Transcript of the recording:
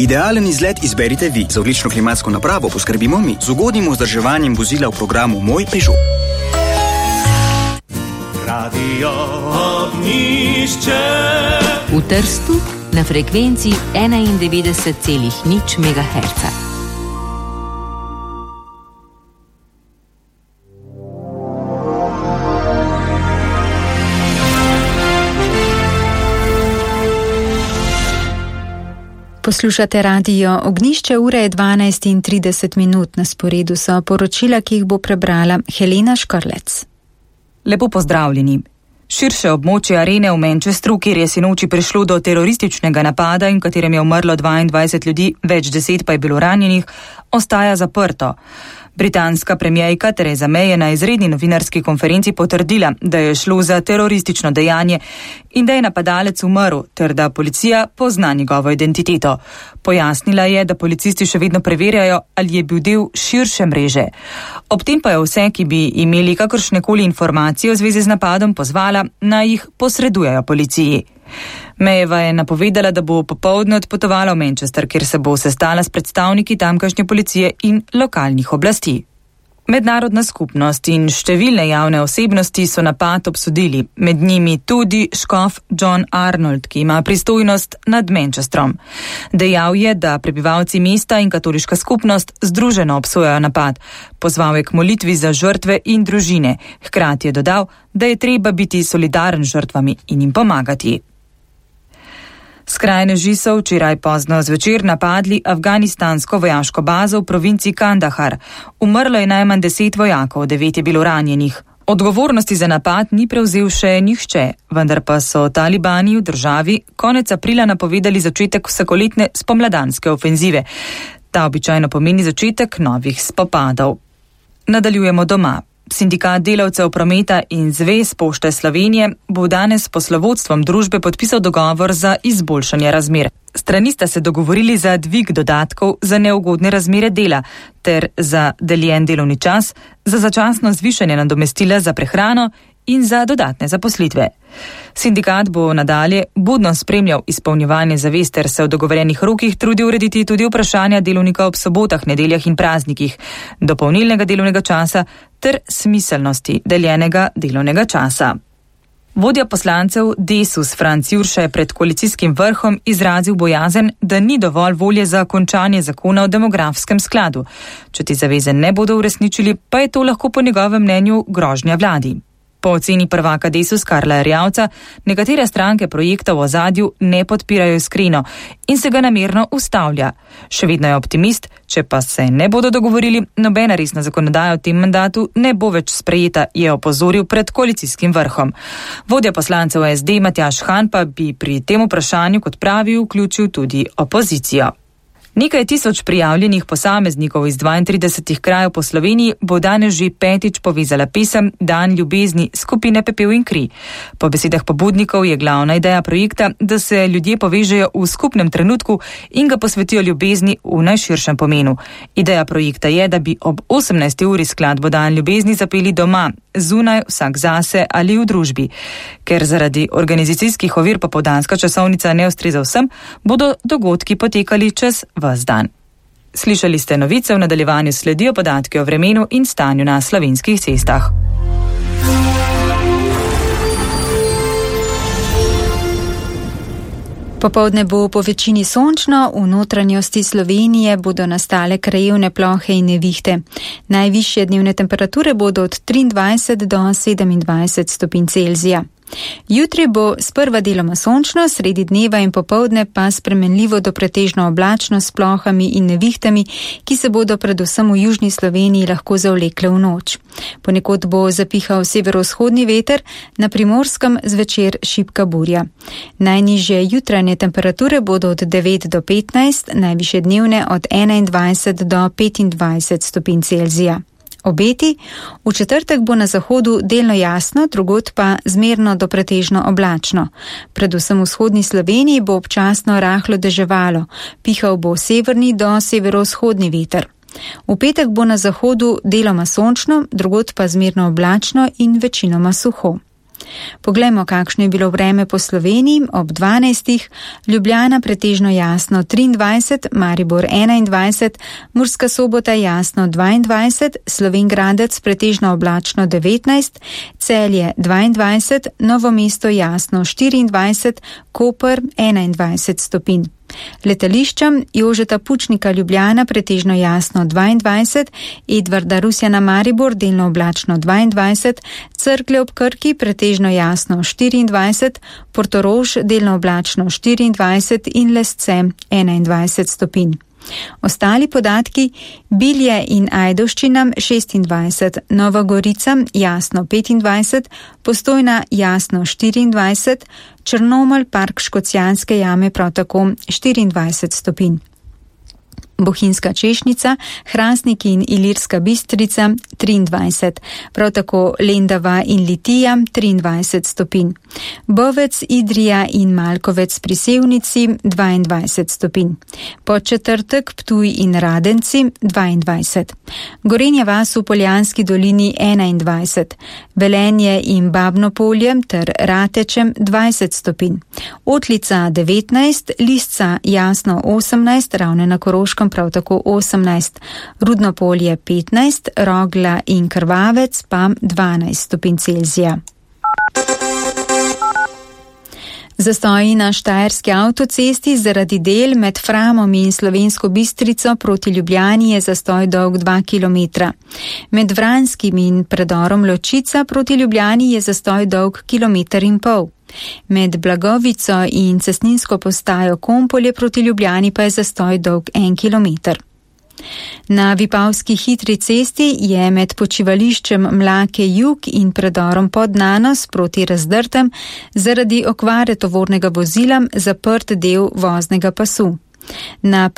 Idealen izlet izberite vi. Za odlično klimatsko napravo poskrbimo mi. Z ugodnim vzdrževanjem vozila v programu Moj Peugeot. Radio Ognjišče. V Trstu na frekvenci 91,0 MHz. Poslušate radio Ognjišče, ura je 12:30, na sporedu so poročila, ki jih bo prebrala Helena Škrlec. Lepo pozdravljeni. Širše območje arene v Manchesteru, kjer je sinoči prišlo do terorističnega napada in v katerem je umrlo 22 ljudi, več 10 pa je bilo ranjenih, ostaja zaprto. Britanska premijerka Theresa May je na izredni novinarski konferenci potrdila, da je šlo za teroristično dejanje in da je napadalec umrl, ter da policija pozna njegovo identiteto. Pojasnila je, da policisti še vedno preverjajo, ali je bil del širše mreže. Ob tem pa je vse, ki bi imeli kakršnekoli informacije v zvezi z napadom, pozvala, naj jih posredujejo policiji. Mayeva je napovedala, da bo popoldne odpotovala v Manchester, kjer se bo sestala s predstavniki tamkajšnje policije in lokalnih oblasti. Mednarodna skupnost in številne javne osebnosti so napad obsodili, med njimi tudi škof John Arnold, ki ima pristojnost nad Manchesterom. Dejal je, da prebivalci mesta in katoliška skupnost združeno obsojajo napad. Pozval je k molitvi za žrtve in družine. Hkrati je dodal, da je treba biti solidaren z žrtvami in jim pomagati. Skrajneži so včeraj pozno zvečer napadli afganistansko vojaško bazo v provinci Kandahar. Umrlo je najmanj 10 vojakov, 9 je bilo ranjenih. Odgovornosti za napad ni prevzel še nihče, vendar pa so talibani v državi konec aprila napovedali začetek vsakoletne spomladanske ofenzive. Ta običajno pomeni začetek novih spopadov. Nadaljujemo doma. Sindikat delavcev prometa in Zvez Pošte Slovenije bo danes s poslovodstvom družbe podpisal dogovor za izboljšanje razmer. Strani sta se dogovorili za dvig dodatkov za neugodne razmere dela ter za deljen delovni čas, za začasno zvišanje nadomestila za prehrano in za dodatne zaposlitve. Sindikat bo nadalje budno spremljal izpolnjevanje zavez ter se v dogovorjenih rokih trudil urediti tudi vprašanja delovnika ob sobotah, nedeljah in praznikih, dopolnilnega delovnega časa ter smiselnosti deljenega delovnega časa. Vodja poslancev Desus Franc Jurša je pred koalicijskim vrhom izrazil bojazen, da ni dovolj volje za končanje zakona o demografskem skladu. Če te zaveze ne bodo uresničili, pa je to lahko po njegovem mnenju grožnja vladi. Po oceni prvaka Desus Karla Erjavca, nekatere stranke projekta v ozadju ne podpirajo iskreno in se ga namerno ustavlja. Še vedno je optimist, če pa se ne bodo dogovorili, nobena resna zakonodaja v tem mandatu ne bo več sprejeta, je opozoril pred koalicijskim vrhom. Vodja poslancev SD Matjaž Han pa bi pri tem vprašanju, kot pravi, vključil tudi opozicijo. Nekaj tisoč prijavljenih posameznikov iz 32 krajev po Sloveniji bo danes že 5. povezala pesem Dan ljubezni skupine Pepel in kri. Po besedah pobudnikov je glavna ideja projekta, da se ljudje povežejo v skupnem trenutku in ga posvetijo ljubezni v najširšem pomenu. Ideja projekta je, da bi ob 18. uri skladbo Dan ljubezni zapeli doma, zunaj, vsak zase ali v družbi. Ker zaradi organizacijskih ovir popoldanska časovnica ne ustreza vsem, bodo dogodki potekali čez ves dan. Slišali ste novice, v nadaljevanju sledijo podatki o vremenu in stanju na slovenskih cestah. Popoldne bo po večini sončno, v notranjosti Slovenije bodo nastale krajevne plohe in nevihte. Najvišje dnevne temperature bodo od 23 do 27 stopinj Celzija. Jutri bo sprva deloma sončno, sredi dneva in popoldne pa spremenljivo do pretežno oblačno s plohami in nevihtami, ki se bodo predvsem v južni Sloveniji lahko zavlekle v noč. Ponekod bo zapihal severovzhodni veter, na Primorskem zvečer šibka burja. Najnižje jutranje temperature bodo od 9 do 15, najvišje dnevne od 21 do 25 stopinj Celzija. Obeti, v četrtek bo na zahodu delno jasno, drugod pa zmerno do pretežno oblačno. Predvsem v vzhodni Sloveniji bo občasno rahlo deževalo, pihal bo severni do severovzhodni veter. V petek bo na zahodu deloma sončno, drugod pa zmerno oblačno in večinoma suho. Poglejmo, kakšno je bilo vreme po Sloveniji ob 12. Ljubljana pretežno jasno 23, Maribor 21, Murska Sobota jasno 22, Slovenj Gradec pretežno oblačno 19, Celje 22, Novo mesto jasno 24, Koper 21 stopinj. Letališča Jožeta Pučnika Ljubljana pretežno jasno 22, Edvarda Rusjana Maribor delno oblačno 22, Cerklje ob Krki pretežno jasno 24, Portorož delno oblačno 24 in Lesce 21 stopinj. Ostali podatki: Bilje in Ajdovščina 26, Nova Gorica jasno 25, Postojna jasno 24, Črnomelj, Park Škocjanske jame prav tako 24 stopinj. Bohinjska Češnica, Hrastnik in Ilirska Bistrica 23, prav tako Lendava in Litija 23 stopinj. Bovec, Idrija in Malkovec pri Sevnici 22 stopinj. Podčetrtek Ptuj in Radenci 22. Gorenja vas v Poljanski dolini 21. Velenje in Babno Polje ter Ratečem 20 stopinj. Otlica 19, Lisca jasno 18, Ravne na Koroškem prav tako 18, Rudno Polje 15, Rogla in Krvavec pa 12 stopinj Celzija. Zastoji na Štajerski avtocesti zaradi del med Framom in Slovensko Bistrico proti Ljubljani je zastoj dolg 2 km. Med Vranskim in predorom Ločica proti Ljubljani je zastoj dolg 1,5 km. Med Blagovico in cestninsko postajo Kompolje proti Ljubljani pa je zastoj dolg 1 km. Na Vipavski hitri cesti je med počivališčem Mlake Jug in predorom pod Nanos proti Razdrtem zaradi okvare tovornega vozila zaprt del voznega pasu. Na